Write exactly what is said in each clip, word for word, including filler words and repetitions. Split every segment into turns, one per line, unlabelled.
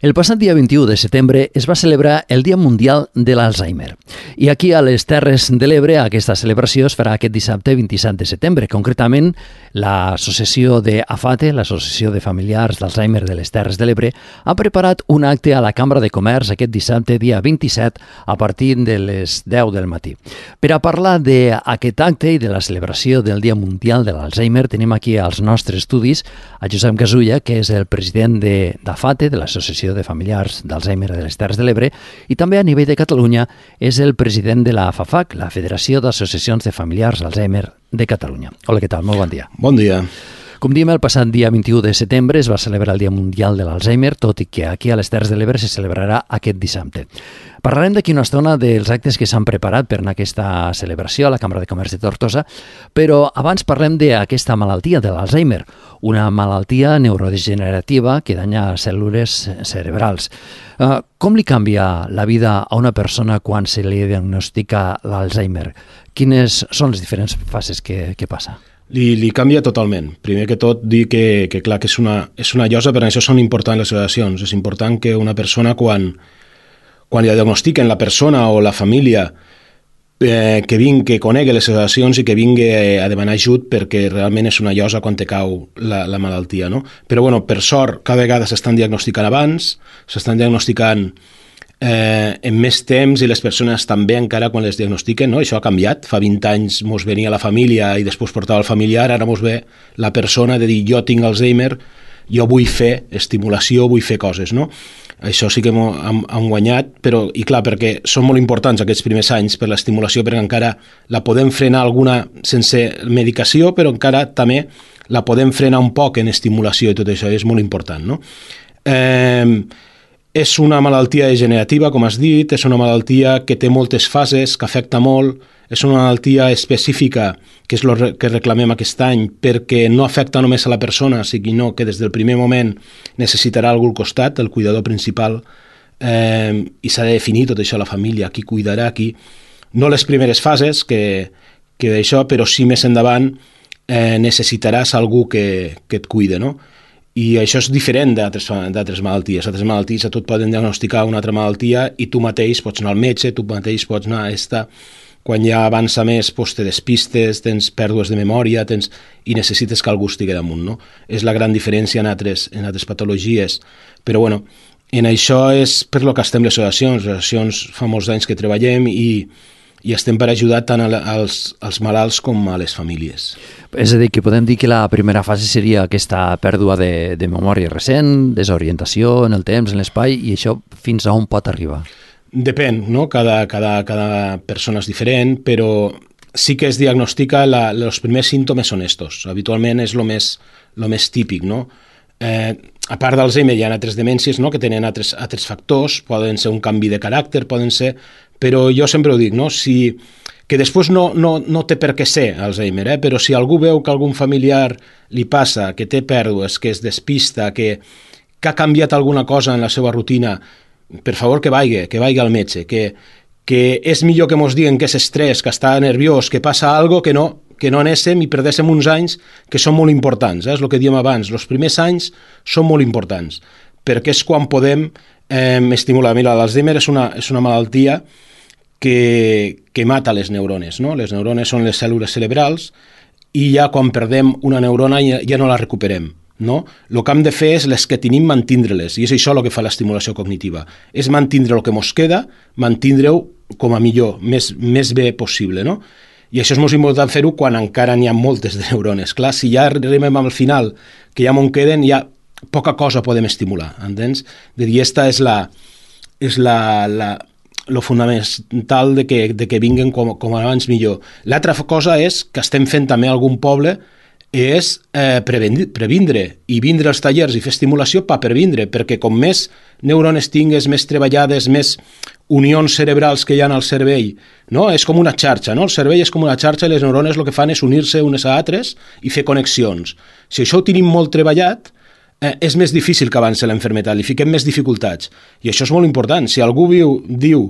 El passat dia vint-i-u de setembre es va celebrar el Dia Mundial de l'Alzheimer. I aquí a les Terres de l'Ebre aquesta celebració es farà aquest dissabte vint-i-set de setembre. Concretament, l'associació d'AFATE, l'Associació de Familiars d'Alzheimer de les Terres de l'Ebre, ha preparat un acte a la Cambra de Comerç aquest dissabte, dia vint-i-set, a partir de les deu del matí. Per a parlar d'aquest acte i de la celebració del Dia Mundial de l'Alzheimer, tenim aquí als nostres estudis a Josep Gasulla, que és el president d'AFATE, de l'Associació de Familiars d'Alzheimer de les Terres de l'Ebre, i també a nivell de Catalunya és el president de la FAFAC, la Federació d'Associacions de Familiars d'Alzheimer de Catalunya. Hola, què tal? Molt bon dia.
Bon dia.
Com diem, el passat dia vint-i-u de setembre es va celebrar el Dia Mundial de l'Alzheimer, tot i que aquí a les Terres de l'Ebre se celebrarà aquest dissabte. Parlarem d'aquí una estona dels actes que s'han preparat per anar a aquesta celebració a la Cambra de Comerç de Tortosa, però abans parlem d'aquesta malaltia de l'Alzheimer, una malaltia neurodegenerativa que danya cèl·lules cerebrals. Uh, com li canvia la vida a una persona quan se li diagnostica l'Alzheimer? Quines són les diferents fases que, que passa?
Li, li canvia totalment. Primer que tot, dir que, que clar, que és una, és una llosa, però això són importants les sedacions. És important que una persona, quan, quan li diagnostiquen la persona o la família, eh, que vingui, que conegui les sedacions i que vingui a demanar ajut, perquè realment és una llosa quan te cau la, la malaltia, no? Però, bueno, per sort, cada vegada s'estan diagnosticant abans, s'estan diagnosticant Eh, en més temps i les persones també encara quan les diagnostiquen, no? Això ha canviat. Fa vint anys mos venia la família i després portava el familiar, ara mos ve la persona de dir jo tinc Alzheimer, jo vull fer estimulació, vull fer coses, no? Això sí que hem, hem guanyat, però, i clar, perquè són molt importants aquests primers anys per l'estimulació, perquè encara la podem frenar alguna sense medicació, però encara també la podem frenar un poc en estimulació i tot això, és molt important, no? Eh, És una malaltia degenerativa, com has dit, és una malaltia que té moltes fases, que afecta molt, és una malaltia específica, que és el que reclamem aquest any, perquè no afecta només a la persona, sinó que des del primer moment necessitarà algú al costat, el cuidador principal, eh, i s'ha de definir tot això a la família, qui cuidarà, qui... No les primeres fases, que, que d'això, però sí més endavant eh, necessitaràs algú que, que et cuide, no? I això és diferent d'altres malalties. Altres malalties a tu et poden diagnosticar una altra malaltia i tu mateix pots anar al metge, tu mateix pots anar a esta. Quan ja avança més, doncs te despistes, tens pèrdues de memòria tens... i necessites que algú estigui damunt, no? És la gran diferència en altres, en altres patologies. Però, bueno, en això és per lo que estem les associacions. Les associacions fa molts anys que treballem i, i estem per ajudar tant als, als malalts com a les famílies.
És a dir, que podem dir que la primera fase seria aquesta pèrdua de, de memòria recent, desorientació en el temps, en l'espai, i això fins a on pot arribar?
Depèn, no? Cada, cada, cada persona és diferent, però sí que es diagnostica, la, els primers símptomes són estos. Habitualment és el més, lo més típic, no? Eh, a part d'Alzheimer hi ha altres demències, no? Que tenen altres, altres factors, poden ser un canvi de caràcter, poden ser... Però jo sempre ho dic, no? Si... que després no, no, no té per què ser Alzheimer, eh? Però si algú veu que algun familiar li passa, que té pèrdues, que es despista, que, que ha canviat alguna cosa en la seva rutina, per favor que vagi, que vagi al metge, que, que és millor que mos diguen que és estrès, que està nerviós, que passa alguna cosa, que no, que no anéssim i perdéssim uns anys que són molt importants, eh? És el que diem abans, els primers anys són molt importants, perquè és quan podem eh, estimular. Mira, l'Alzheimer és una, és una malaltia Que, que mata les neurones, no? Les neurones són les cèl·lules cerebrals i ja quan perdem una neurona ja, ja no la recuperem, no? El que hem de fer és les que tenim mantindre-les, i és això el que fa l'estimulació cognitiva, és mantindre el que mos queda, mantindre-ho com a millor, més, més bé possible, no? I això és molt important fer-ho quan encara n'hi ha moltes de neurones. Clar, si ja arribem al final, que ja m'on queden, ja poca cosa podem estimular, entens? De dir, esta és la... És la, la lo fonamental de que, de que vinguen com, com abans millor. L'altra cosa és que estem fent també a algun poble és eh, previndre, previndre i vindre als tallers i fer estimulació per previndre, perquè com més neurones tingues, més treballades, més unions cerebrals que hi ha al cervell, no? És com una xarxa, no? El cervell és com una xarxa i les neurones el que fan és unir-se unes a altres i fer connexions. Si això ho tenim molt treballat, eh, és més difícil que avanci l'enfermetat, li fiquem més dificultats. I això és molt important. Si algú viu, diu,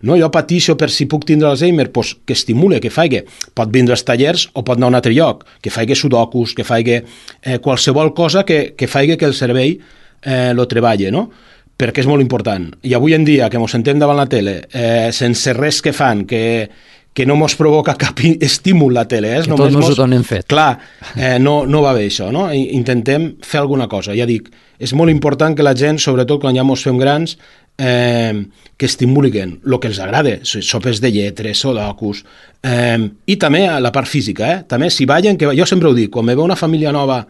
no, jo patixo per si puc tindre Alzheimer, pues que estimule, que faci. Pot vindre als tallers o pot anar a un altre lloc, que faci sudokus, que faci eh, qualsevol cosa que, que faci que el cervell eh, lo treballi, no? perquè és molt important. I avui en dia, que ens sentem davant la tele, eh, sense res que fan, que, que no ens provoca cap estímul la tele. Eh?
Que tots nos ho donem fet.
Clar, eh, no, no va bé això, no? Intentem fer alguna cosa. Ja dic, és molt important que la gent, sobretot quan ja ens fem grans, eh, que estimulin el que els agrada, sopes de lletres, sudokus, eh, i també la part física. Eh? També si ballen, que jo sempre ho dic, quan me ve una família nova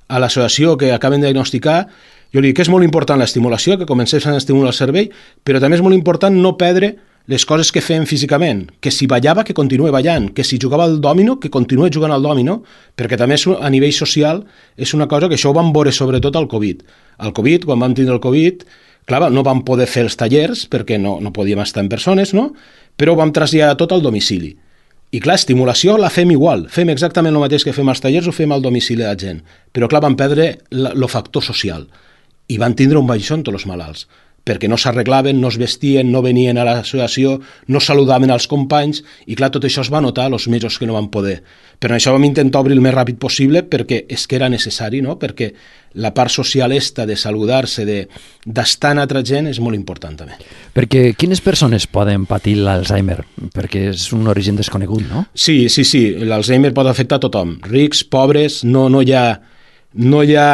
a l'associació que acaben de diagnosticar, jo li dic que és molt important l'estimulació, que comencés a estimular el cervell, però també és molt important no perdre les coses que fem físicament, que si ballava, que continuï ballant, que si jugava al dòmino, que continuï jugant al dòmino, perquè també és, a nivell social és una cosa que això ho vam veure sobretot al Covid. Al Covid, quan vam tindre el Covid, clar, no vam poder fer els tallers perquè no, no podíem estar en persones, no? Però ho vam traslladar tot al domicili. I clar, estimulació la fem igual, fem exactament el mateix que fem als tallers, ho fem al domicili de la gent. Però clar, vam perdre el factor social i van tindre un baixón tots els malalts, perquè no s'arreglaven, no es vestien, no venien a l'associació, no saludaven als companys, i clar, tot això es va notar els mesos que no van poder. Però això vam intentar obrir el més ràpid possible perquè és que era necessari, no? Perquè la part social esta de saludar-se, d'estar en altra gent, és molt important també.
Perquè quines persones poden patir l'Alzheimer? Perquè és un origen desconegut, no?
Sí, sí, sí, l'Alzheimer pot afectar a tothom, rics, pobres, no, no, hi ha, no hi ha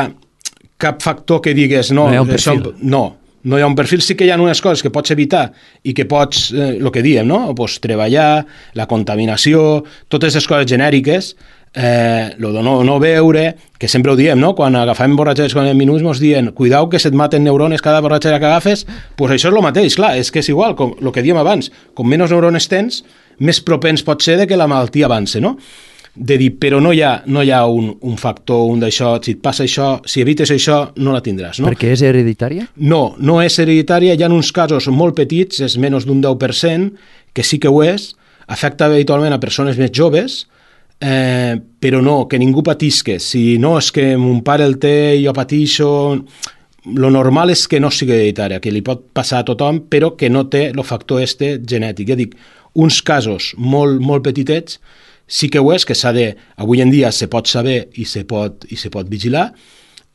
cap factor que digues no,
no hi ha un perfil.
Això, no, no hi ha un perfil, sí que hi ha unes coses que pots evitar i que pots, eh, el que diem, no? Pues treballar, la contaminació, totes les coses genèriques, eh, lo de no, no beure, que sempre ho diem, no? Quan agafem borratxeres quan en minuts ens diuen cuidao que se't maten neurones cada borratxera que agafes, pues això és el mateix, clar, és que és igual, com el que diem abans, com menys neurones tens, més propens pot ser de que la malaltia avance, no? De dir, però no hi ha, no hi ha un, un factor, un d'això, si et passa això, si evites això, no la tindràs, no?
Perquè és hereditària?
No, no és hereditària, hi ha uns casos molt petits, és menys d'un deu per cent, que sí que ho és, afecta habitualment a persones més joves, eh, però no, que ningú patisque. Si no, és que mon pare el té, jo patixo... Lo normal és que no sigui hereditària, que li pot passar a tothom, però que no té el factor este genètic. Ja dic, uns casos molt, molt petitets, sí que ho és, que s'ha de, avui en dia se pot saber i se pot, i se pot vigilar.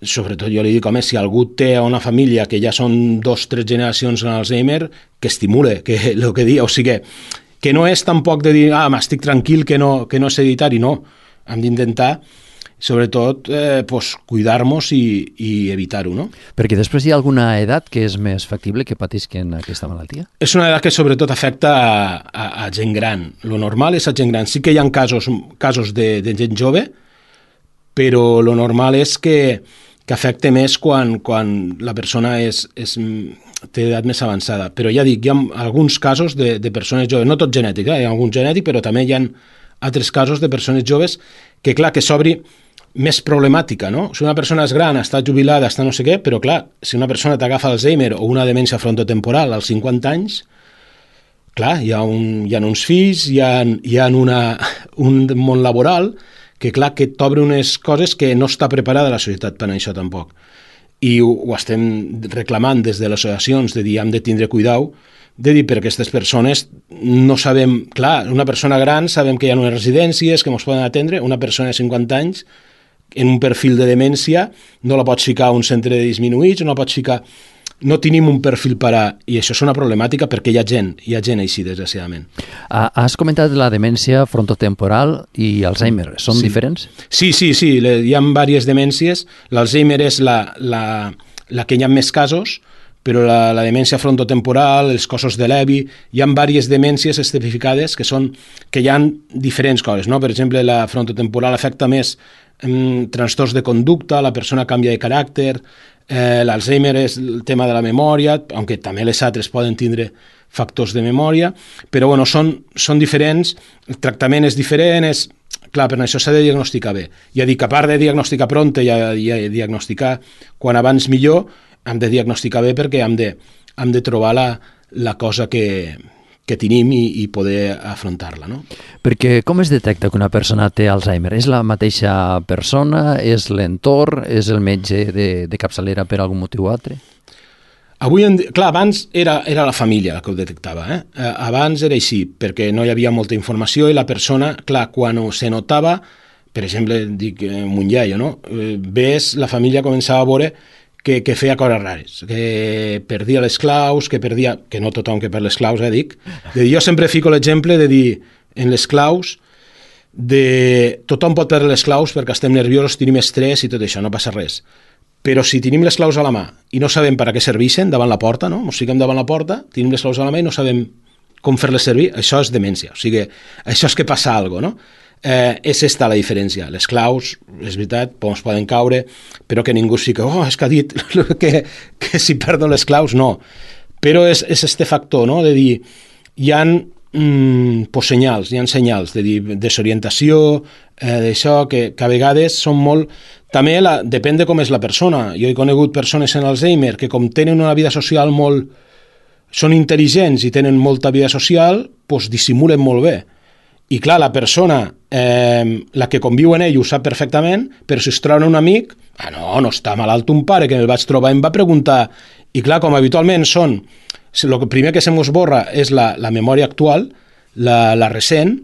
Sobretot jo li dic, home, si algú té una família que ja són dos, tres generacions en Alzheimer, que estimule, que el que dia, o sigui, que no és tampoc de dir, ah, m'estic tranquil que no, que no és hereditari, no. Hem d'intentar, sobretot, eh, pues, cuidar-nos i, i evitar-ho, no?
Perquè després hi ha alguna edat que és més factible que patisquen aquesta malaltia?
És una edat que sobretot afecta a, a, a gent gran. Lo normal és a gent gran. Sí que hi ha casos, casos de, de gent jove, però lo normal és que, que afecta més quan, quan la persona és, és, té edat més avançada. Però ja dic, hi ha alguns casos de, de persones joves, no tot genètic, eh? Hi ha algun genètic, però també hi ha altres casos de persones joves que, clar, que s'obri més problemàtica, no? Si una persona és gran, està jubilada, està no sé què, però clar, si una persona t'agafa Alzheimer o una demència frontotemporal als cinquanta anys, clar, hi ha, un, hi ha uns fills, hi ha, hi ha una, un món laboral que, clar, que t'obre unes coses que no està preparada la societat per a això tampoc. I ho, ho estem reclamant des de les associacions, de dir, hem de tindre cuidau, de dir, per aquestes persones no sabem, clar, una persona gran sabem que hi ha unes residències que ens poden atendre, una persona de cinquanta anys en un perfil de demència no la pots ficar a un centre de disminuïts, no la pots ficar... No tenim un perfil per a... I això és una problemàtica perquè hi ha gent, hi ha gent així, desgraciadament.
Has comentat la demència frontotemporal i Alzheimer. Són
sí.
diferents?
Sí, sí, sí. Hi ha diverses demències. L'Alzheimer és la, la, la que hi ha més casos, però la, la demència frontotemporal, els cossos de Levi, hi ha diverses demències especificades que són que hi ha diferents coses, no? Per exemple, la frontotemporal afecta més eh, trastorns de conducta, la persona canvia de caràcter, eh, l'Alzheimer és el tema de la memòria, aunque també les altres poden tindre factors de memòria, però bueno, són, són diferents, el tractament és diferent, és... Clar, per això s'ha de diagnosticar bé. Ja dic, a part de diagnosticar pront i, i, i diagnosticar quan abans millor, hem de diagnosticar bé perquè hem de, hem de trobar la, la cosa que, que tenim i, i poder afrontar-la, no?
Perquè com es detecta que una persona té Alzheimer? És la mateixa persona? És l'entorn? És el metge de, de capçalera per algun motiu o altre?
Avui en dia, clar, abans era, era la família la que ho detectava, eh? Abans era així, perquè no hi havia molta informació i la persona, clar, quan se notava, per exemple, dic, Munllaio, no? Ves, la família començava a veure que, que feia coses rares, que perdia les claus, que perdia... que no tothom que perd les claus, eh, dic. De dir, jo sempre fico l'exemple de dir, en les claus, de tothom pot perdre les claus perquè estem nerviosos, tenim estrès i tot això, no passa res. Però si tenim les claus a la mà i no sabem per a què serveixen davant la porta, no? Ens fiquem davant la porta, tenim les claus a la mà i no sabem com fer-les servir, això és demència. O sigui, això és que passa alguna cosa, no? Eh, és esta la diferència. Les claus, és veritat, ens poden caure, però que ningú sí que, oh, és que ha dit que, que si perdo les claus, no. Però és, és este factor, no?, de dir, hi ha mm, pues, senyals, hi ha senyals de dir, desorientació, eh, d'això, que, que a vegades són molt... També la, depèn de com és la persona. Jo he conegut persones en Alzheimer que com tenen una vida social molt... són intel·ligents i tenen molta vida social, doncs dissimulen molt bé. I clar, la persona, eh, la que conviu en ell ho sap perfectament, però si es troba un amic, ah no, no està malalt un pare, que me'l vaig trobar i em va preguntar, i clar, com habitualment són, el primer que se mos borra és la, la memòria actual, la, la recent,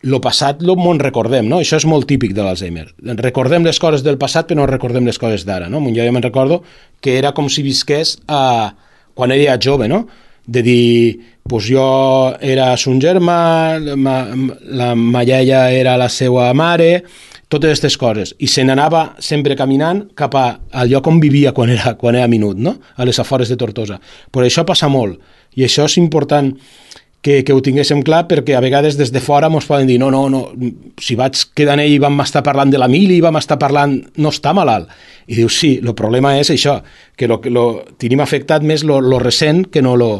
el passat lo mon recordem, no? Això és molt típic de l'Alzheimer. Recordem les coses del passat, però no recordem les coses d'ara, no? Jo ja me'n recordo que era com si visqués a, quan era jove, no? De dir, pues jo era son germà, ma, la ma iaia era la seva mare, totes aquestes coses. I se n'anava sempre caminant cap a, al lloc on vivia quan era, quan era minut, no? A les afores de Tortosa. Però això passa molt, i això és important que, que ho tinguéssim clar, perquè a vegades des de fora ens poden dir, no, no, no, si vaig quedar en ell i vam estar parlant de la mili, vam estar parlant, no està malalt. I dius, sí, el problema és això, que lo, lo, tenim afectat més lo, lo recent que no lo,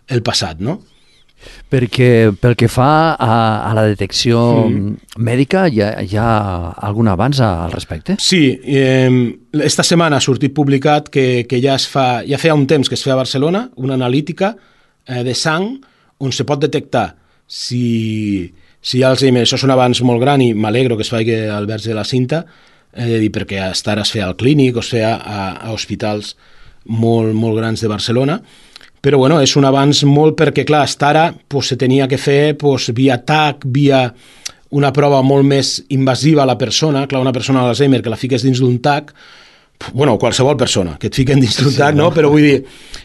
el passat, no?
Perquè pel que fa a, a la detecció mm. mèdica, hi ha, hi ha algun avanç al respecte?
Sí, eh, esta setmana ha sortit publicat que, que ja es fa, ja feia un temps que es feia a Barcelona, una analítica eh, de sang on se pot detectar si, si hi ha Alzheimer. Això és un avanç molt gran i m'alegro que es faci al Verge de la Cinta, eh, dir, perquè hasta ara es feia al Clínic o es feia a, a hospitals molt, molt grans de Barcelona. Però bueno, és un avanç molt perquè, clar, hasta ara pues, se tenia que fer pues, via T A C, via una prova molt més invasiva a la persona. Clar, una persona amb Alzheimer que la fiques dins d'un T A C, bueno, qualsevol persona que et fiquen dins d'un T A C, sí, no? Però vull dir,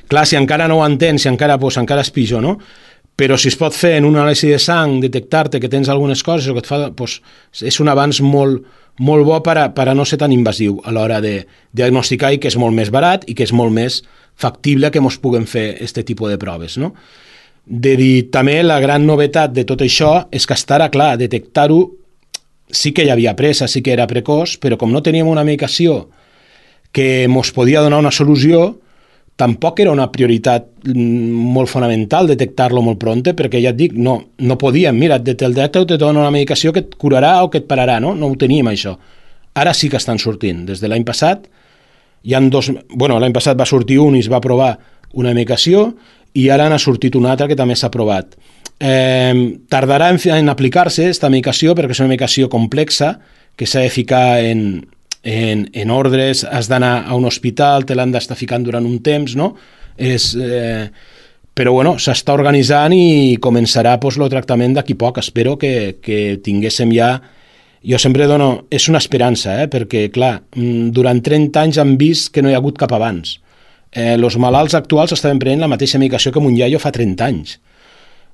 clar, si encara no ho entens, si encara, pues, encara és pitjor, no? Però si es pot fer en una anàlisi de sang, detectar-te que tens algunes coses o que et fa, pues, és un avanç molt, molt bo per a, per a no ser tan invasiu a l'hora de diagnosticar i que és molt més barat i que és molt més factible que ens puguem fer aquest tipus de proves, no? De dir, també la gran novetat de tot això és que estarà clar, detectar-ho sí que hi havia pressa, sí que era precoç, però com no teníem una medicació que ens podia donar una solució, tampoc era una prioritat molt fonamental detectar-lo molt pronte, perquè ja et dic, no, no podíem, mira, el detecta te dona una medicació que et curarà o que et pararà, no? No ho teníem, això. Ara sí que estan sortint. Des de l'any passat, hi ha dos... Bueno, l'any passat va sortir un i es va aprovar una medicació i ara n'ha sortit una altra que també s'ha aprovat. Eh, tardarà en, en aplicar-se aquesta medicació perquè és una medicació complexa que s'ha de ficar en... En, en ordres, has d'anar a un hospital, te l'han d'estar ficant durant un temps, no? És, eh, però bueno, s'està organitzant i començarà pues, el tractament d'aquí poc. Espero que, que tinguéssim ja... Jo sempre dono... És una esperança, eh? Perquè, clar, durant trenta anys han vist que no hi ha hagut cap abans. Eh, els malalts actuals estaven prenent la mateixa medicació que mon iaio fa trenta anys.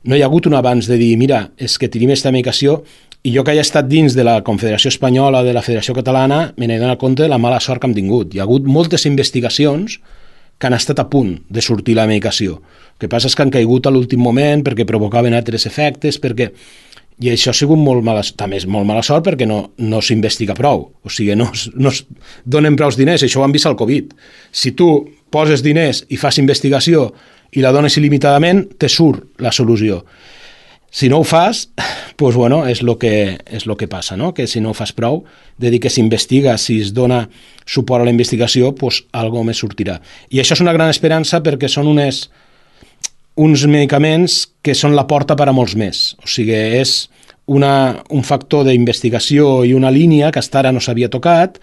No hi ha hagut un abans de dir, mira, és que tenim aquesta medicació. I jo que he estat dins de la Confederació Espanyola, de la Federació Catalana, me n'he donat compte de la mala sort que hem tingut. Hi ha hagut moltes investigacions que han estat a punt de sortir la medicació. El que passa és que han caigut a l'últim moment perquè provocaven altres efectes, perquè... I això ha sigut molt mala, també és molt mala sort perquè no, no s'investiga prou. O sigui, no, no es donen prou diners. Això ho han vist al Covid. Si tu poses diners i fas investigació i la dones il·limitadament, te surt la solució. Si no ho fas, pues bueno, és el que, és lo que passa, no? Que si no ho fas prou, de dir que s'investiga, si es dona suport a la investigació, pues algo més sortirà. I això és una gran esperança perquè són unes, uns medicaments que són la porta per a molts més. O sigui, és una, un factor d'investigació i una línia que fins ara no s'havia tocat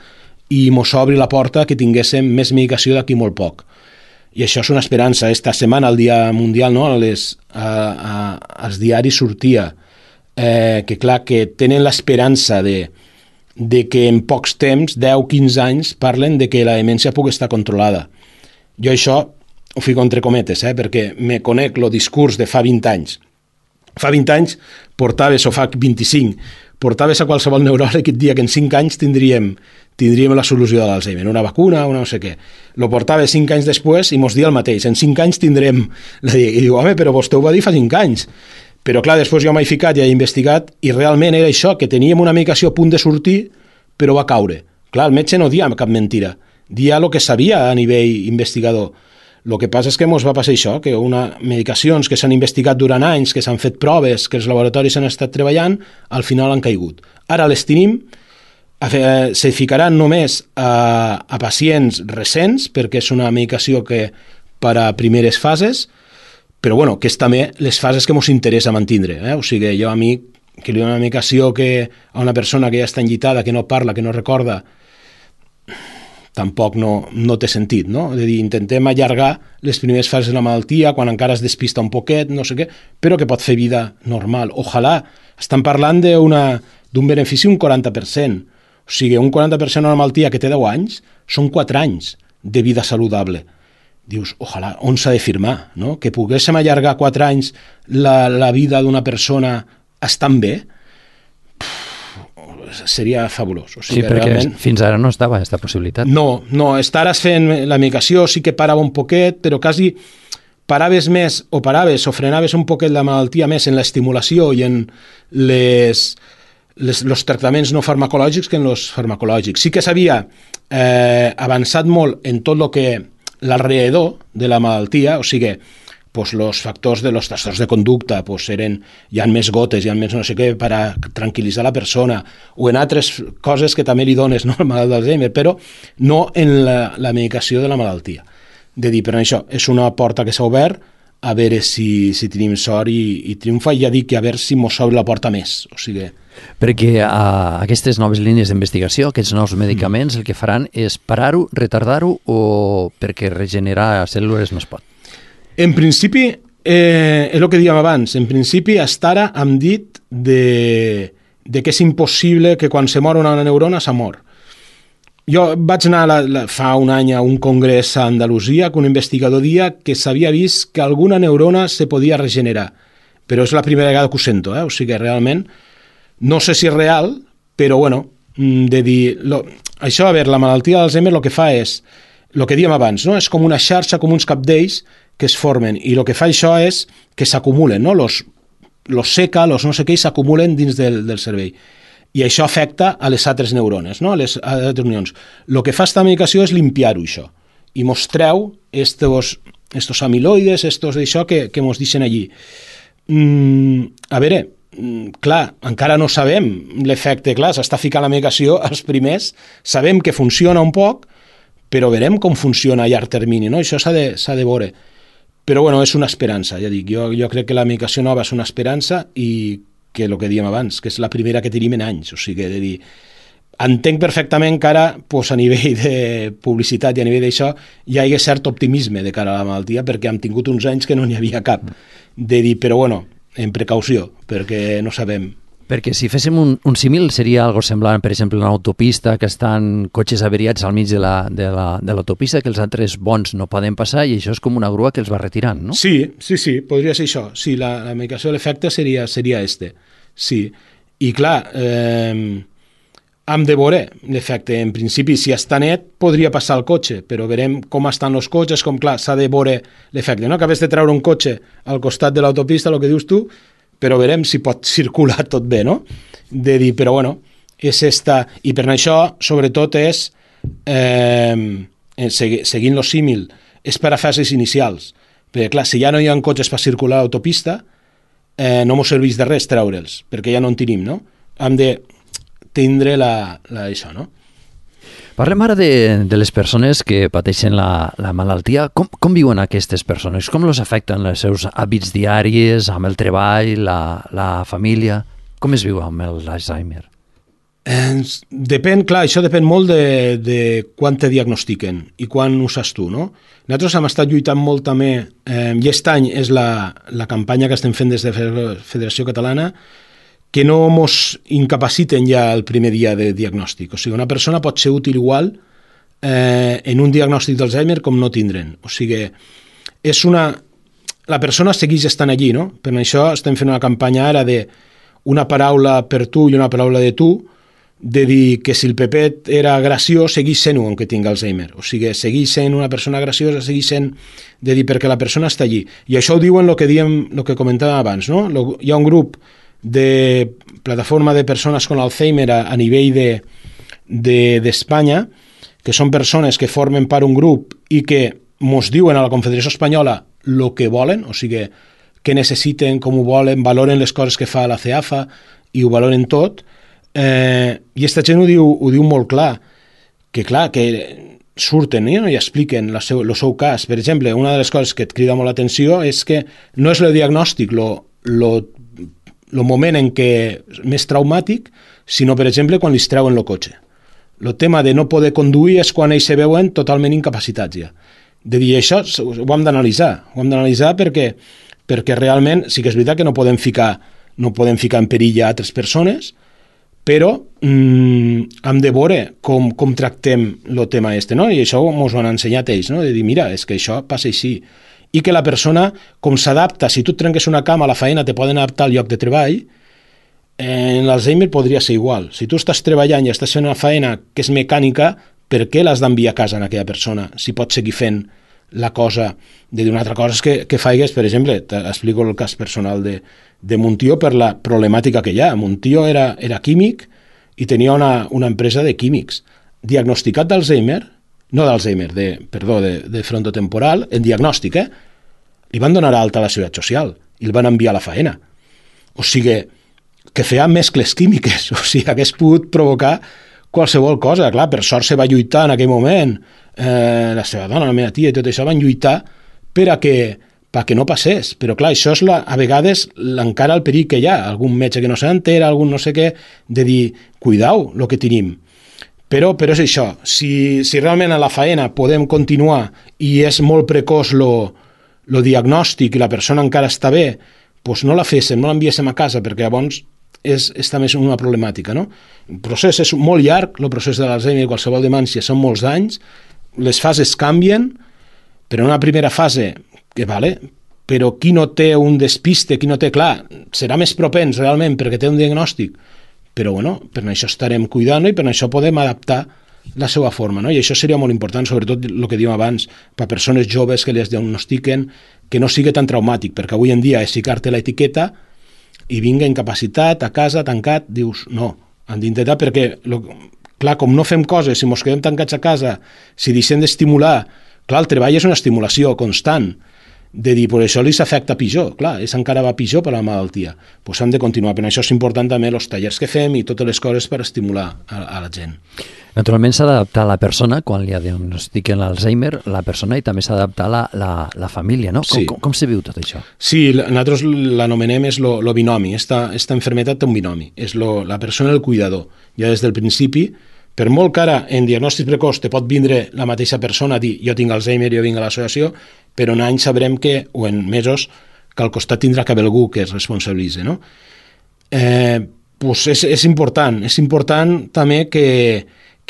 i mos obri la porta que tinguéssim més medicació d'aquí molt poc. I això és una esperança. Esta setmana, el Dia Mundial, no, a les, a, a, als diaris sortia eh, que, clar, que tenen l'esperança de, de que en pocs temps, deu a quinze anys, parlen de que la demència pugui estar controlada. Jo això ho fico entre cometes, eh? Perquè me conec el discurs de fa vint anys. Fa vint anys portaves, o fa vint-i-cinc, portaves a qualsevol neuròleg i et dia que en cinc anys tindríem, tindríem la solució de l'Alzheimer, una vacuna, una no sé què. Lo portaves cinc anys després i mos dia el mateix. En cinc anys tindrem... I diu, home, però vostè ho va dir fa cinc anys. Però clar, després jo m'he ficat i he investigat i realment era això, que teníem una medicació a punt de sortir, però va caure. Clar, el metge no dia cap mentira. Dia el que sabia a nivell investigador. El que passa és que ens va passar això, que una medicacions que s'han investigat durant anys, que s'han fet proves, que els laboratoris han estat treballant, al final han caigut. Ara les tenim, se ficaran només a, a pacients recents, perquè és una medicació que per a primeres fases, però bueno, que és també les fases que ens interessa mantindre. Eh? O sigui, jo a mi, que li dono una medicació que a una persona que ja està enllitada, que no parla, que no recorda, tampoc no, no té sentit, no? És a dir, intentem allargar les primeres fases de la malaltia, quan encara es despista un poquet, no sé què, però que pot fer vida normal. Ojalà, estan parlant d'un benefici un quaranta per cent. O sigui, un quaranta per cent d'una malaltia que té deu anys són quatre anys de vida saludable. Dius, ojalà, on s'ha de firmar, no? Que poguéssim allargar quatre anys la, la vida d'una persona estant bé, seria fabulós. O sigui,
sí, perquè
realment,
fins ara no estava aquesta possibilitat.
No, no, estares fent la medicació, sí que parava un poquet, però quasi paraves més, o paraves, o frenaves un poquet la malaltia més en l'estimulació i en les, les, los tractaments no farmacològics que en els farmacològics. Sí que s'havia eh, avançat molt en tot el que l'alrededor de la malaltia, o sigui, pues los factors de los trastorns de conducta pues eren, hi ha més gotes, hi ha més no sé què per a tranquil·litzar la persona, o en altres coses que també li dones, no, al malalt d'Alzheimer, però no en la, la medicació de la malaltia. De dir, però això és una porta que s'ha obert, a veure si, si tenim sort i, i triomfa, i ja dic que a veure si mos obre la porta més. O sigui...
Perquè a aquestes noves línies d'investigació, aquests nous medicaments, el que faran és parar-ho, retardar-ho, o perquè regenerar cèl·lules no es pot?
En principi, eh, és el que dèiem abans, en principi hasta ara hem dit de, de que és impossible que quan se mor una neurona s'ha mort. Jo vaig anar la, la, fa un any a un congrés a Andalusia que un investigador dia que s'havia vist que alguna neurona se podia regenerar, però és la primera vegada que ho sento, eh? O sigui, realment, no sé si és real, però bueno, de dir... Lo, això, a veure, la malaltia d'Alzheimer el que fa és, el que dèiem abans, no? És com una xarxa, com uns cabdells, que es formen, i el que fa això és que s'acumulen, no? Los, los seca, los no sé què, s'acumulen dins del, del cervell. I això afecta a les altres neurones, no? A les altres unions. El que fa esta medicació és limpiar-ho, això, i mostreu estos, estos amiloides, estos d'això que, que mos deixen allí. Mm, a veure, mm, clar, encara no sabem l'efecte, clar, s'està ficant la medicació als primers, sabem que funciona un poc, però veurem com funciona a llarg termini, no? Això s'ha de, s'ha de veure. Però bueno, és una esperança, ja dic, jo, jo crec que la medicació nova és una esperança i que el que dèiem abans, que és la primera que tenim en anys, o sigui, de dir, entenc perfectament que ara, pues, a nivell de publicitat i a nivell d'això, hi ha cert optimisme de cara a la malaltia, perquè hem tingut uns anys que no n'hi havia cap, de dir, però bueno, en precaució, perquè no sabem.
Perquè si féssim un, un símil seria algo semblant, per exemple, una autopista que estan cotxes averiats al mig de la, de la, de l'autopista, que els altres bons no poden passar, i això és com una grua que els va retirant, no?
Sí, sí, sí, podria ser això. Sí, la, la medicació de l'efecte seria, seria este. Sí. I clar, eh, hem de veure l'efecte. En principi, si està net, podria passar el cotxe, però veurem com estan els cotxes, com clar, s'ha de veure l'efecte. No acabes de treure un cotxe al costat de l'autopista, el que dius tu, però veurem si pot circular tot bé, no? De dir, però bueno, és esta... I per això, sobretot, és, eh, seguint el símil, és per a fases inicials. Perquè, clar, si ja no hi ha cotxes per circular a l'autopista, eh, no ens serveix de res treure'ls, perquè ja no en tenim, no? Hem de tindre la, la, això, no?
Parlem ara de, de les persones que pateixen la, la malaltia. Com, com viuen aquestes persones? Com els afecten els seus hàbits diaris, amb el treball, la, la família? Com es viu amb l'Alzheimer?
Eh, depèn, clar, això depèn molt de, de quan te diagnostiquen i quan ho saps tu, no? Nosaltres hem estat lluitant molt també, eh, i aquest any és la, la campanya que estem fent des de Federació Catalana, que no ens incapaciten ja el primer dia de diagnòstic. O sigui, una persona pot ser útil igual eh, en un diagnòstic d'Alzheimer com no tindre'n. O sigui, és una... La persona segueix estant allí, no? Per això estem fent una campanya ara de una paraula per tu i una paraula de tu, de dir que si el Pepet era graciós, segueix sent-ho, aunque tingui Alzheimer. O sigui, segueix sent una persona graciosa, segueix sent de dir perquè la persona està allí. I això ho diuen el que diem, el que comentàvem abans, no? Hi ha un grup de plataforma de persones con Alzheimer a, a nivell de, de, d'Espanya, que són persones que formen part un grup i que mos diuen a la Confederació Espanyola el que volen, o sigui, què necessiten, com ho volen, valoren les coses que fa la CEAFA i ho valoren tot, eh, i aquesta gent ho diu, ho diu molt clar, que clar, que surten eh, i expliquen el seu, el seu cas. Per exemple, una de les coses que et crida molt l'atenció és que no és el diagnòstic el moment en què més traumàtic, sinó, per exemple, quan li treuen el cotxe. El tema de no poder conduir és quan ells se veuen totalment incapacitats ja. De dir això ho hem d'analitzar, ho hem d'analitzar perquè, perquè realment sí que és veritat que no podem ficar, no podem ficar en perill a altres persones, però mm, hem de veure com, com tractem el tema este, no? I això ens ho han ensenyat ells, no? De dir, mira, és que això passa així. I que la persona, com s'adapta, si tu et trenques una cama a la feina, te poden adaptar al lloc de treball, en l'Alzheimer podria ser igual. Si tu estàs treballant i estàs fent una feina que és mecànica, per què l'has d'enviar a casa en aquella persona si pots seguir fent la cosa? De dir, una altra cosa és que, que faigues, per exemple, t'explico el cas personal de, de mon tio per la problemàtica que hi ha. Mon tio era, era químic i tenia una, una empresa de químics. Diagnosticat d'Alzheimer, no d'Alzheimer, de, perdó, de, de frontotemporal, en diagnòstic, eh? Li van donar alta a la Seguretat Social i el van enviar a la faena. O sigui, que feia mescles químiques, o sigui, hagués pogut provocar qualsevol cosa. Clar, per sort se va lluitar en aquell moment, eh, la seva dona, la meva tia i tot això van lluitar per a que, per a que no passés, però clar, això és la, a vegades encara el perill que hi ha, algun metge que no s'entera, algun no sé què, de dir, cuidau el que tenim. Però, però és això, si, si realment a la faena podem continuar i és molt precoç el diagnòstic i la persona encara està bé, doncs no la féssim, no l'enviéssim a casa, perquè llavors és, és també una problemàtica, no? El procés és molt llarg, el procés de l'Alzheimer i qualsevol demència són molts anys, les fases canvien, però en una primera fase, que vale, però qui no té un despiste, qui no té, clar, serà més propens realment perquè té un diagnòstic, però bueno, per això estarem cuidant i per això podem adaptar la seva forma, no? I això seria molt important, sobretot el que dèiem abans, per a persones joves que les diagnostiquen, que no sigui tan traumàtic, perquè avui en dia és ficar-te l'etiqueta i vinga incapacitat, a casa, tancat, dius, no, han d'intentar perquè, lo, clar, com no fem coses, si mos quedem tancats a casa, si deixem d'estimular, clar, el treball és una estimulació constant, de dir, per això li s'afecta pitjor, clar, és encara va pitjor per la malaltia, doncs hem de continuar, però això és important també els tallers que fem i totes les coses per estimular a, a la gent.
Naturalment s'ha d'adaptar la persona, quan li diagnostiquen l'Alzheimer, la persona, i també s'ha d'adaptar la, la, la família, no? Com,
sí.
com, com se viu tot això?
Sí, nosaltres l'anomenem és lo, lo binomi, esta, esta enfermetat té un binomi, és lo, la persona i el cuidador. Ja des del principi, per molt que ara en diagnòstic precoç te pot vindre la mateixa persona a dir jo tinc Alzheimer, jo vinc a l'associació, però en anys sabrem que, o en mesos, que al costat tindrà que haver algú que es responsabilitzi, no? Eh, pues és, és important, és important també que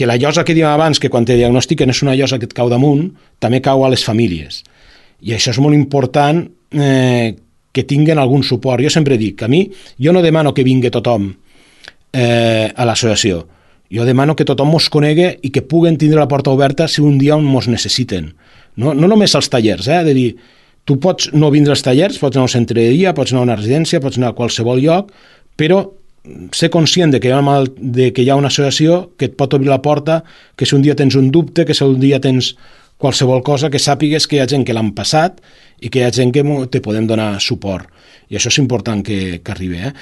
que la llosa que dèiem abans, que quan te diagnostiquen és una llosa que et cau damunt, també cau a les famílies. I això és molt important eh, que tinguen algun suport. Jo sempre dic que a mi, jo no demano que vingui tothom eh, a l'associació. Jo demano que tothom mos conegui i que puguen tindre la porta oberta si un dia mos necessiten. No, no només als tallers, eh? De dir, tu pots no vindre als tallers, pots anar a un centre de dia, pots anar a una residència, pots anar a qualsevol lloc, però ser conscient de que, hi ha una, de que hi ha una associació que et pot obrir la porta, que si un dia tens un dubte, que si un dia tens qualsevol cosa, que sàpigues que hi ha gent que l'han passat i que hi ha gent que te podem donar suport. I això és important que, que arribi. Eh?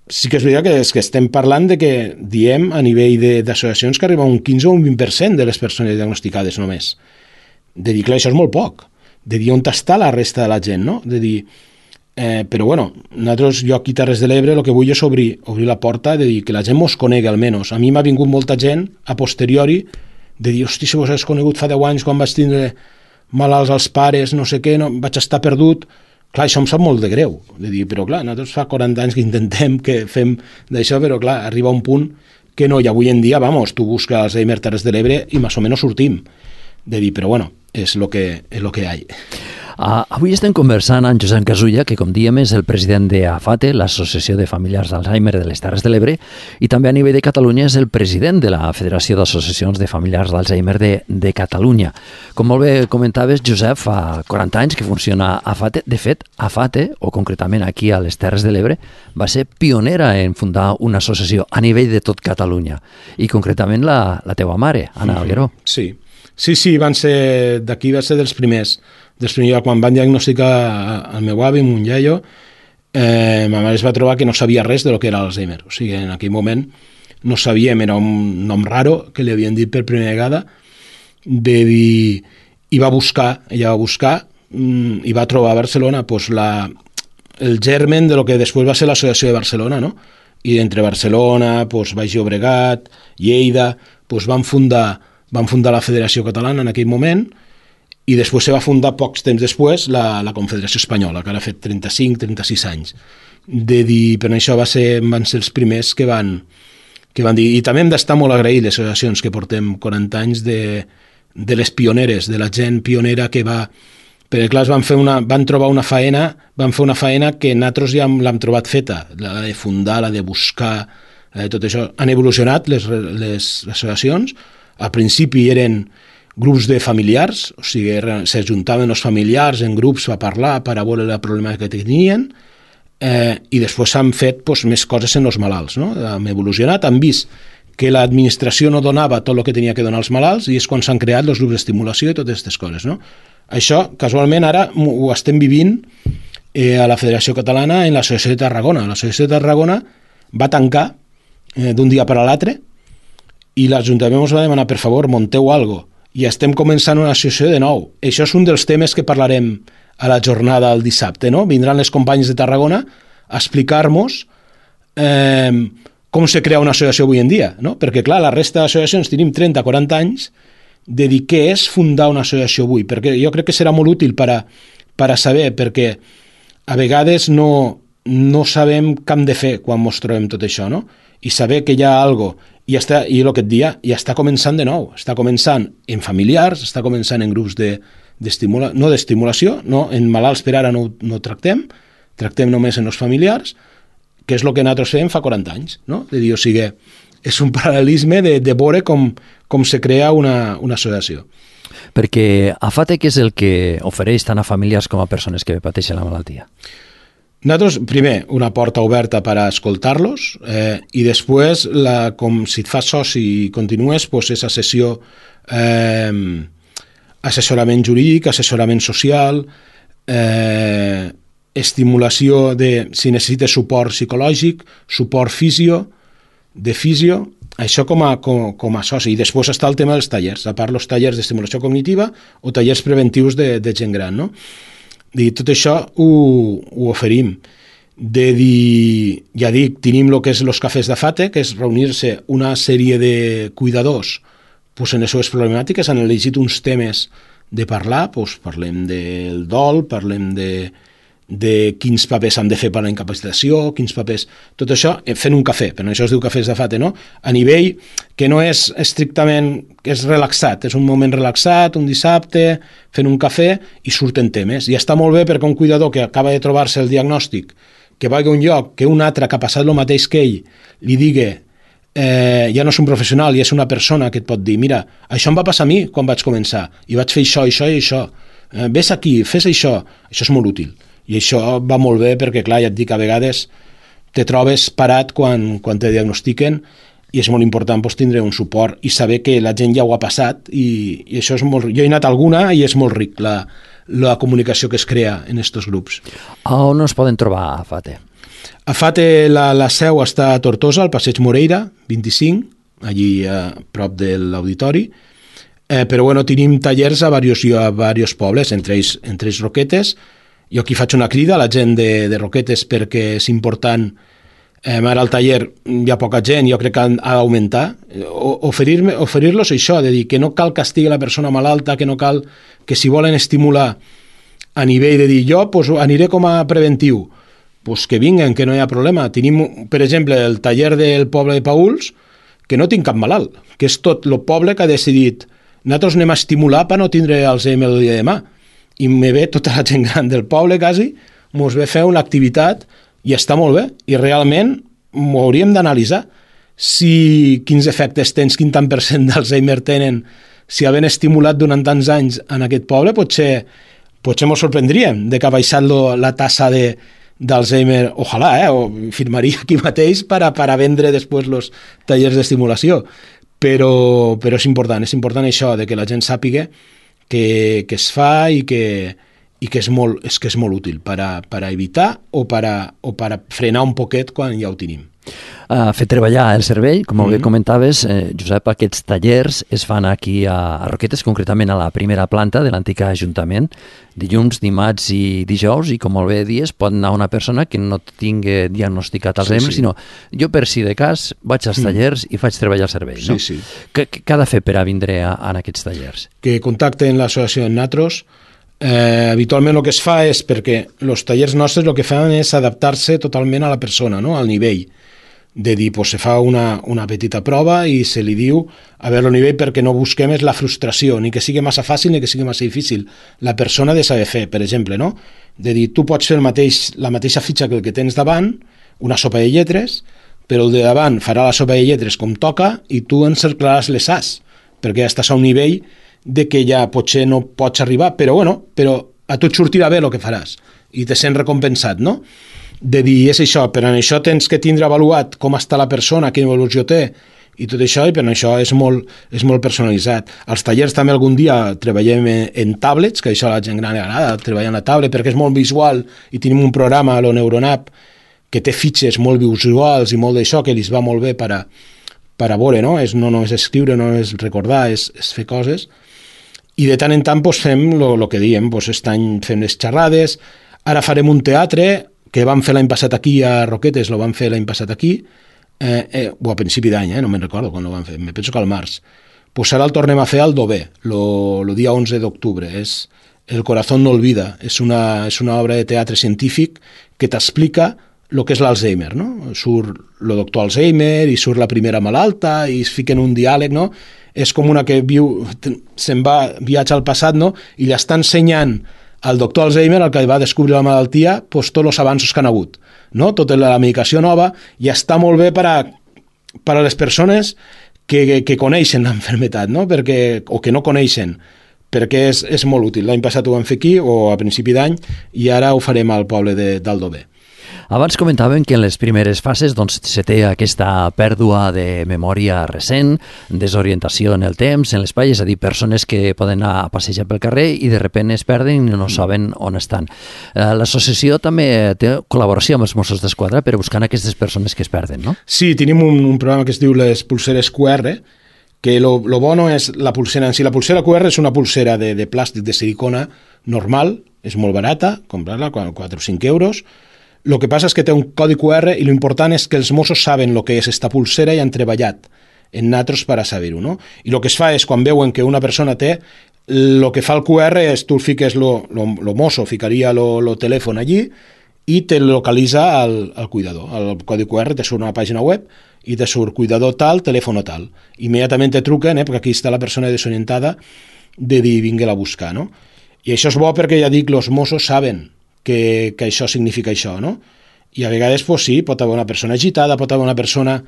Sí que és veritat que, és que estem parlant de que diem a nivell d'associacions que arriba un quinze o un vint per cent de les persones diagnosticades només. De dir, clar, això és molt poc. De dir on està la resta de la gent, no? De dir... Eh, però bueno, nosaltres, jo aquí a Terres de l'Ebre el que vull és obrir, obrir la porta de dir que la gent mos conegui almenys. A mi m'ha vingut molta gent a posteriori de dir, hosti, si vos has conegut fa deu anys quan vaig tindre malalts als pares, no sé què, no, vaig estar perdut. Clar, això em sap molt de greu, de dir, però clar, nosaltres fa quaranta anys que intentem que fem d'això, però clar, arriba un punt que no, i avui en dia, vamos, tu busques Alzheimer Terres de l'Ebre i més o menys sortim de dir, però bueno, és el que, és lo que hi ha.
Uh, avui estem conversant amb Josep Casulla, que com diem és el president d'AFATE, l'Associació de Familiars d'Alzheimer de les Terres de l'Ebre, i també a nivell de Catalunya és el president de la Federació d'Associacions de Familiars d'Alzheimer de, de Catalunya. Com molt bé comentaves, Josep, fa quaranta anys que funciona AFATE. De fet, AFATE, o concretament aquí a les Terres de l'Ebre, va ser pionera en fundar una associació a nivell de tot Catalunya, i concretament la, la teua mare, Anna Algueró.
Sí, sí, sí, van ser d'aquí, va ser dels primers. Després, quan van diagnosticar el meu avi, mon iaio, eh, ma mare es va trobar que no sabia res de lo que era l'Alzheimer. O sigui, en aquell moment no sabíem, era un nom raro que li havien dit per primera vegada, de dir, i va buscar, ella va buscar, mm, i va trobar a Barcelona pues, la, el germen de lo que després va ser l'Associació de Barcelona, no? I entre Barcelona, pues, Baix Llobregat, Lleida, pues, van, fundar, van fundar la Federació Catalana en aquell moment, i després se va fundar pocs temps després la, la Confederació Espanyola, que ara ha fet trenta-cinc trenta-sis anys. De dir, però això va ser, van ser els primers que van, que van dir, i també hem d'estar molt agraïts les associacions que portem quaranta anys de, de les pioneres, de la gent pionera que va, perquè clar, van, fer una, van trobar una faena, van fer una faena que nosaltres ja l'hem trobat feta, la de fundar, la de buscar, la de tot això. Han evolucionat les, les associacions, al principi eren grups de familiars, o sigui, s'ajuntaven els familiars en grups a parlar, per a veure el problema que tenien, eh, i després s'han fet pues, més coses en els malalts. No? Hem evolucionat, han vist que l'administració no donava tot el que tenia que donar als malalts i és quan s'han creat els grups d'estimulació i totes aquestes coses. No? Això, casualment, ara ho estem vivint eh, a la Federació Catalana en l'Associació de Tarragona. L'Associació de Tarragona va tancar eh, d'un dia per a l'altre i l'Ajuntament ens va demanar, per favor, monteu alguna cosa. I estem començant una associació de nou. Això és un dels temes que parlarem a la jornada el dissabte, no? Vindran les companyes de Tarragona a explicar-nos eh, com se crea una associació avui en dia, no? Perquè, clar, la resta d'associacions tenim trenta quaranta anys de dir què és fundar una associació avui, perquè jo crec que serà molt útil per a, per a saber, perquè a vegades no, no sabem què hem de fer quan ens trobem tot això, no? I saber que hi ha alguna cosa. I, està, i el que et dia, ja està començant de nou. Està començant en familiars, està començant en grups de, d'estimula, no d'estimulació, no, en malalts per ara no, no tractem, tractem només en els familiars, que és el que nosaltres fem fa quaranta anys. No? De dir, o sigui, és un paral·lelisme de, de veure com, com se crea una, una associació.
Perquè AFATE, què és el que ofereix tant a famílies com a persones que pateixen la malaltia?
Nosaltres, primer, una porta oberta per a escoltar-los eh, i després, la, com si et fas soci i continues, pues, és sessió eh, assessorament jurídic, assessorament social, eh, estimulació de, si necessites suport psicològic, suport fisio, de fisio, això com a, com, com a soci. I després està el tema dels tallers, a part els tallers d'estimulació cognitiva o tallers preventius de, de gent gran, no? De tot això ho, ho oferim. De dir, ja dic, tenim el que és els cafès d'AFATE, que és reunir-se una sèrie de cuidadors pues, en les seves problemàtiques, han elegit uns temes de parlar, pues, parlem del dol, parlem de, de quins papers han de fer per a la incapacitació, quins papers... Tot això fent un cafè, però això es diu cafès d'AFATE, no? A nivell que no és estrictament... que és relaxat, és un moment relaxat, un dissabte, fent un cafè i surten temes. I està molt bé perquè un cuidador que acaba de trobar-se el diagnòstic, que vagi a un lloc, que un altre que ha passat el mateix que ell, li digui eh, ja no és un professional i és una persona que et pot dir, mira, això em va passar a mi quan vaig començar, i vaig fer això, això i això, eh, ves aquí, fes això, això és molt útil. I això va molt bé perquè, clar, ja et dic, a vegades te trobes parat quan, quan te diagnostiquen i és molt important pues, tindre un suport i saber que la gent ja ho ha passat i, i això és molt... Jo he anat a alguna i és molt ric la, la comunicació que es crea en aquests grups.
On es poden trobar a AFATE?
AFATE, la, la seu està a Tortosa, al passeig Moreira, vint-i-cinc, allí a prop de l'auditori, eh, però bueno, tenim tallers a diversos, a diversos pobles, entre ells, entre ells Roquetes. Jo aquí faig una crida a la gent de, de Roquetes perquè és important, eh, ara al taller hi ha poca gent, jo crec que ha d'augmentar, oferir-los oferir això, de dir que no cal que estigui la persona malalta, que no cal que si volen estimular a nivell de dir jo pues, aniré com a preventiu, pues que vinguen, que no hi ha problema. Tenim, per exemple, el taller del poble de Pauls, que no tinc cap malalt, que és tot el poble que ha decidit nosaltres anem a estimular per no tindre Alzheimer el dia de demà. I me ve tota la gent gran del poble, quasi, mos ve fer una activitat i està molt bé. I realment m'ho hauríem d'analitzar. Si quins efectes tens, quin tant per cent d'Alzheimer tenen, si havent estimulat durant tants anys en aquest poble, potser, potser mos sorprendríem de que ha baixat lo, la tassa de, d'Alzheimer, ojalà, eh? O firmaria aquí mateix per a, per a vendre després els tallers d'estimulació. Però, però és important, és important això, de que la gent sàpiga que, que es fa i que, i que, és, molt, és que és molt útil per a, per a evitar o per a, o per a frenar un poquet quan ja ho tenim.
Uh, fer treballar el cervell, com mm-hmm. bé comentaves, eh, Josep, aquests tallers es fan aquí a, a Roquetes, concretament a la primera planta de l'antic Ajuntament, dilluns, dimarts i dijous, i com molt bé dies, pot anar una persona que no tingui diagnosticat Alzheimer, sí, sí. sinó jo per si de cas vaig als tallers mm. i faig treballar el cervell. No?
Sí, sí.
Què, què ha de fer per a vindre a, a aquests tallers?
Que contacten l'associació Natros. Eh, habitualment el que es fa és perquè els tallers nostres el que fan és adaptar-se totalment a la persona, no? Al nivell. De dir, pues, se fa una, una petita prova i se li diu a veure el nivell, perquè no busquem és la frustració, ni que sigui massa fàcil ni que sigui massa difícil. La persona ha de saber fer, per exemple, no? De dir, tu pots fer el mateix, la mateixa fitxa que el que tens davant, una sopa de lletres, però el de davant farà la sopa de lletres com toca i tu encerclaràs les as, perquè ja estàs a un nivell de que ja potser no pots arribar, però bueno, però a tu et sortirà bé el que faràs i te sents recompensat, no? De dir, és això, però en això tens que tindre avaluat com està la persona, quina evolució té i tot això, i per això és molt, és molt personalitzat. Als tallers també algun dia treballem en tablets, que això a la gent gran li agrada, treballar en la tablet, perquè és molt visual i tenim un programa, lo Neuronap, que té fitxes molt visuals i molt d'això, que li va molt bé per a, per a veure, no? És, no només escriure, no és recordar, és, és fer coses. I de tant en tant pues, fem el que diem, pues, aquest any fem les xerrades, ara farem un teatre que vam fer l'any passat aquí a Roquetes, lo vam fer l'any passat aquí, eh, eh, o a principi d'any, eh, no me'n recordo quan lo vam fer, me penso que al març. Pues ara el tornem a fer al Dover, el dia onze d'octubre. És El corazón no olvida, és una, és una obra de teatre científic que t'explica el que és l'Alzheimer, no? Surt el doctor Alzheimer i surt la primera malalta i es fica en un diàleg, no? És com una que viu, se'n va, viatja al passat, no? I li està ensenyant al doctor Alzheimer, el que va descobrir la malaltia, pues, tots els avanços que han hagut, no? Tota la medicació nova, i està molt bé per a, per a les persones que, que, que coneixen l'enfermetat, no? Perquè, o que no coneixen, perquè és, és molt útil. L'any passat ho vam fer aquí, o a principi d'any, i ara ho farem al poble de, d'Aldover.
Abans comentàvem que en les primeres fases doncs, se té aquesta pèrdua de memòria recent, desorientació en el temps, en l'espai, és a dir, persones que poden anar a passejar pel carrer i de sobte es perden i no saben on estan. L'associació també té col·laboració amb els Mossos d'Esquadra per buscar aquestes persones que es perden, no?
Sí, tenim un, un programa que es diu les pulseres Q R, que lo, lo bueno és la pulsera en si. La pulsera Q R és una pulsera de, de plàstic de silicona normal, és molt barata, comprar-la, quatre o cinc euros. El que passa és que té un codi Q R i l'important és que els Mossos saben el que és esta pulsera i han treballat en natros per a saber-ho, no? I el que es fa és, quan veuen que una persona té, el que fa el Q R és, tu fiques, lo, lo, lo Mosso ficaria el telèfon allí i te localitza el, el cuidador. El codi Q R te surt una pàgina web i te surt cuidador tal, telèfon tal. Immediatament te truquen, eh, perquè aquí està la persona desorientada, de dir, vinga-la a buscar, no? I això és bo perquè, ja dic, els Mossos saben que, que això significa això, no? I a vegades, pues, sí, pot haver una persona agitada, pot haver una persona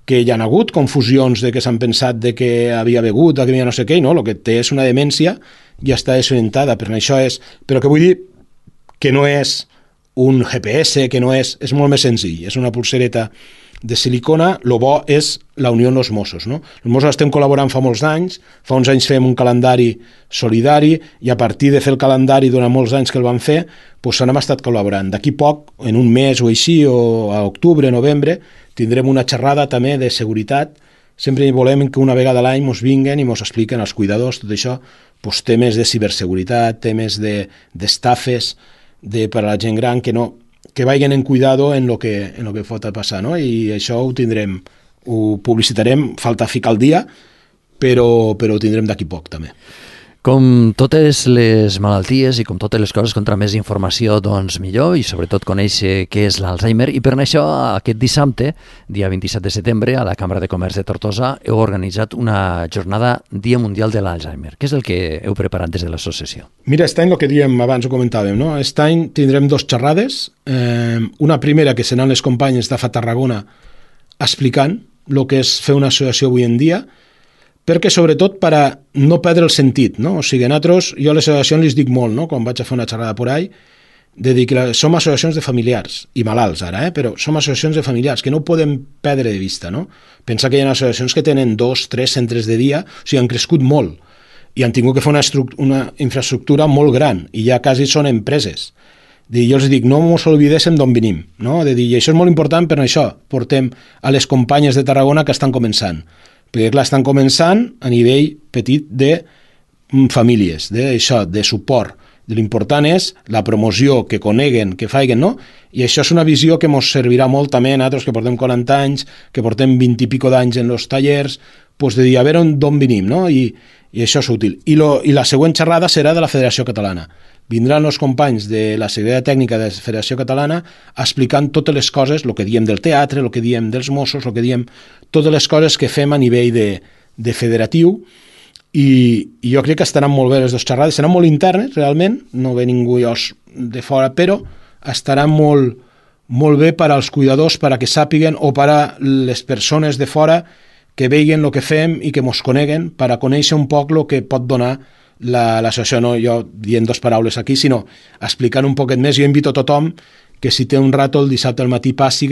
que hi ha hagut confusions de que s'han pensat de que havia begut, que havia no sé què, no? El que té és una demència i està desorientada, però això és... Però que vull dir que no és un G P S, que no és... És molt més senzill, és una pulsereta de silicona. Lo bo és la unió amb els Mossos, no? Els Mossos estem col·laborant fa molts anys, fa uns anys fem un calendari solidari i a partir de fer el calendari durant molts anys que el vam fer, doncs hem estat col·laborant. D'aquí poc, en un mes o així, o a octubre, novembre, tindrem una xerrada també de seguretat. Sempre volem que una vegada a l'any ens vinguen i ens expliquen als cuidadors tot això, doncs, temes de ciberseguretat, temes de, d'estafes de, per a la gent gran, que no que vagin en cuidado en lo que, en lo que pot passar, no? I això ho tindrem, ho publicitarem, falta ficar el dia, però, però ho tindrem d'aquí poc també.
Com totes les malalties i com totes les coses, contra més informació, doncs millor, i sobretot conèixer què és l'Alzheimer. I per això, aquest dissabte, dia vint-i-set de setembre, a la Cambra de Comerç de Tortosa, heu organitzat una jornada Dia Mundial de l'Alzheimer. Què és el que heu preparat des de l'associació?
Mira, aquest any el que diem, abans ho comentàvem, no? Aquest any tindrem dos xerrades. Eh, una primera que seran les companyes d'A F A Tarragona explicant el que és fer una associació avui en dia, perquè sobretot per a no perdre el sentit, no? O sigui, nosaltres, jo a les associacions les dic molt, no? Quan vaig a fer una xerrada por ahí, de dir que som associacions de familiars, i malalts ara, eh? Però som associacions de familiars, que no ho podem perdre de vista, no? Pensa que hi ha associacions que tenen dos, tres centres de dia, o sigui, han crescut molt, i han tingut que fer una, una infraestructura molt gran, i ja quasi són empreses. De dir, jo els dic, no ens oblidéssim d'on venim, no? De dir, i això és molt important, per això portem a les companyes de Tarragona que estan començant, perquè clar, estan començant a nivell petit de famílies, d'això, de suport. L'important és la promoció, que coneguen, que faiguen, no? I això és una visió que ens servirà molt també a nosaltres, que portem quaranta anys, que portem vint i pico d'anys en els tallers, doncs de dir, a veure d'on venim, no? I, i això és útil. I, lo, I la següent xerrada serà de la Federació Catalana. Vindran els companys de la Secretaria Tècnica de la Federació Catalana explicant totes les coses, el que diem del teatre, el que diem dels Mossos, el que diem totes les coses que fem a nivell de, de federatiu, i, i jo crec que estaran molt bé les dues xerrades, seran molt internes realment, no ve ningú de fora, però estaran molt, molt bé per als cuidadors, per a que sàpiguen, o per a les persones de fora que veien el que fem i que mos coneguen, per a conèixer un poc el que pot donar l'associació, no jo dient dues paraules aquí, sinó explicant un poquet més. Jo invito a tothom que si té un rato el dissabte al matí passi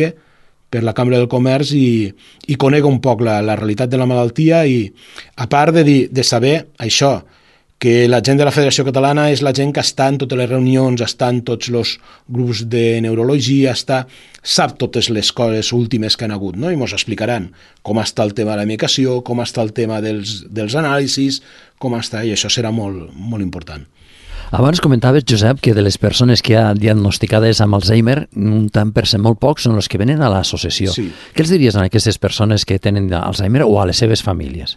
per la Cambra del Comerç i, i conega un poc la, la realitat de la malaltia, i a part de, dir, de saber això, que la gent de la Federació Catalana és la gent que està en totes les reunions, està en tots els grups de neurologia, està, sap totes les coses últimes que han hagut, no? I ens explicaran com està el tema de la medicació, com està el tema dels, dels anàlisis, com està, i això serà molt, molt important.
Abans comentaves, Josep, que de les persones que ha diagnosticades amb Alzheimer, un tant per cent molt pocs són els que venen a l'associació. Sí. Què els diries a aquestes persones que tenen Alzheimer o a les seves famílies?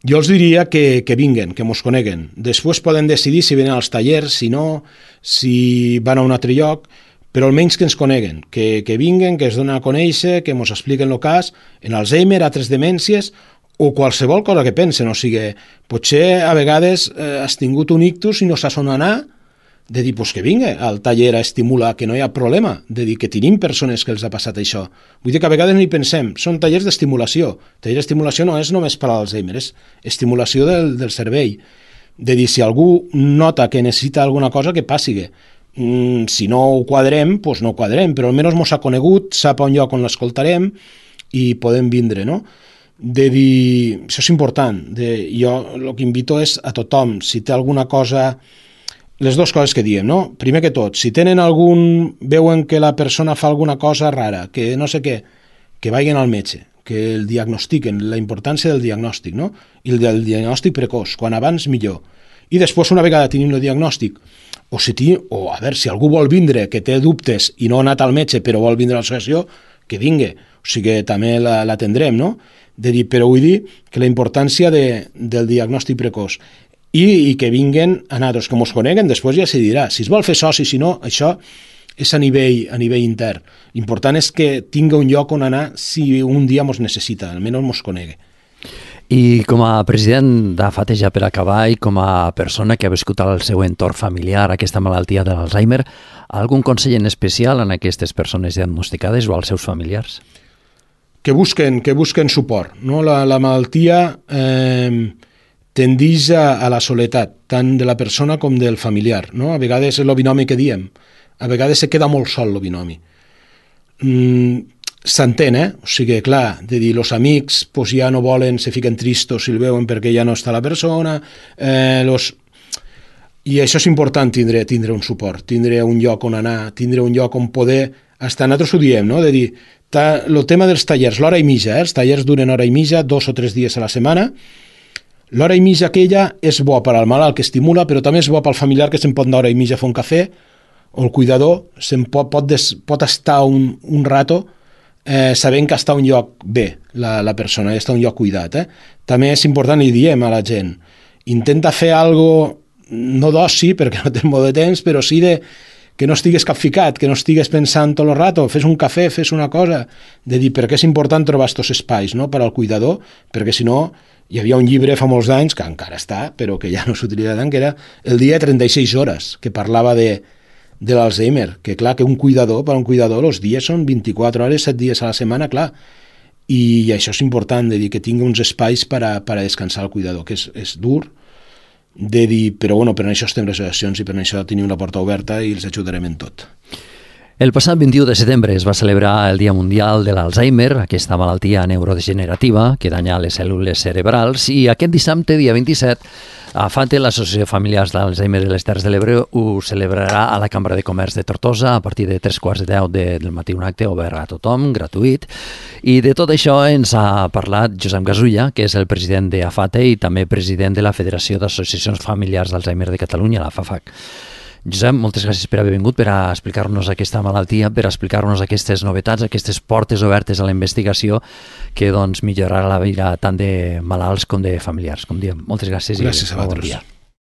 Jo els diria que, que vinguen, que mos coneguen. Després poden decidir si venen als tallers, si no, si van a un altre lloc, però almenys que ens coneguen, que, que vinguen, que es donen a conèixer, que mos expliquen el cas, en Alzheimer, altres demències, o qualsevol cosa que pensen. O sigui, potser a vegades eh, has tingut un ictus i no saps on anar, de dir, pues que vinga al taller a estimular, que no hi ha problema, de dir que tenim persones que els ha passat això. Vull dir que a vegades no hi pensem, són tallers d'estimulació. Taller d'estimulació no és només per a l'Alzheimer, és estimulació del, del cervell. De dir, si algú nota que necessita alguna cosa, que passi. Mm, si no ho quadrem, doncs no ho quadrem, però almenys mos ha conegut, sap un lloc on l'escoltarem i podem vindre, no? De dir, això és important. De, jo el que invito és a tothom, si té alguna cosa... Les dues coses que diem, no? Primer que tot, si tenen algun... veuen que la persona fa alguna cosa rara, que no sé què, que vagin al metge, que el diagnostiquen, la importància del diagnòstic, no? I el del diagnòstic precoç, quan abans millor. I després, una vegada tenim el diagnòstic, o, si ti, o a veure, si algú vol vindre, que té dubtes i no ha anat al metge, però vol vindre a l'associació, que vingui. O sigui, també l'atendrem, no? De dir, però vull dir que la importància de, del diagnòstic precoç. I, i que vinguen a nosaltres, que mos coneguen, després ja se dirà. Si es vol fer soci, si no, això és a nivell, a nivell intern. L'important és que tingui un lloc on anar si un dia mos necessita, almenys mos conegui.
I com a president d'A F A T, ja per acabar, i com a persona que ha viscut al seu entorn familiar aquesta malaltia de l'Alzheimer, algun consell en especial en aquestes persones diagnosticades o als seus familiars?
Que busquen, que busquen suport, no? La, la malaltia... Eh, tendeix a, a la soledat, tant de la persona com del familiar, no? A vegades és el binomi que diem, a vegades se queda molt sol el binomi. Mm, S'entén, eh? O sigui, clar, de dir, els amics pues, ja no volen, se fiquen tristos si el veuen perquè ja no està la persona, eh, los... i això és important, tindre, tindre un suport, tindre un lloc on anar, tindre un lloc on poder estar. Nosaltres ho diem, no? De dir, el tema dels tallers, l'hora i mitja, eh? Els tallers duren hora i mitja, dos o tres dies a la setmana. L'hora i mitja aquella és bo per al malalt que estimula, però també és bo pel familiar que se'n pot anar hora i mitja a fer un cafè, o el cuidador se'n pot, pot, des, pot estar un, un rato eh, sabent que està un lloc bé, la, la persona, està un lloc cuidat. Eh? També és important, li diem a la gent, intenta fer algo, no d'oci, perquè no tens molt de temps, però sí de que no estigues capficat, que no estigues pensant tot el rato, fes un cafè, fes una cosa, de dir per què és important trobar aquests espais, no?, per al cuidador, perquè si no, hi havia un llibre fa molts anys, que encara està, però que ja no s'utilitza tant, que era El dia de trenta-sis hores, que parlava de, de l'Alzheimer, que clar, que un cuidador, per a un cuidador, els dies són vint-i-quatre hores, set dies a la setmana, clar, i això és important, de dir que tingui uns espais per a, per a descansar el cuidador, que és, és dur, de dir, però bueno, per això estem les associacions i per això tenim la porta oberta i els ajudarem en tot.
El passat vint-i-u de setembre es va celebrar el Dia Mundial de l'Alzheimer, aquesta malaltia neurodegenerativa que danya les cèl·lules cerebrals, i aquest dissabte, dia vint-i-set, a FATE, l'Associació de Familiars d'Alzheimer de les Terres de l'Ebre, ho celebrarà a la Cambra de Comerç de Tortosa a partir de tres quarts de deu de, del matí, un acte obert a tothom, gratuït. I de tot això ens ha parlat Josep Gasulla, que és el president de AFATE i també president de la Federació d'Associacions Familiars d'Alzheimer de Catalunya, la FAFAC. Josep, moltes gràcies per haver vingut, per a explicar-nos aquesta malaltia, per a explicar-nos aquestes novetats, aquestes portes obertes a la investigació que doncs, millorarà la vida tant de malalts com de familiars, com diem. Moltes gràcies.
Gràcies
i
a vosaltres.
Bon dia.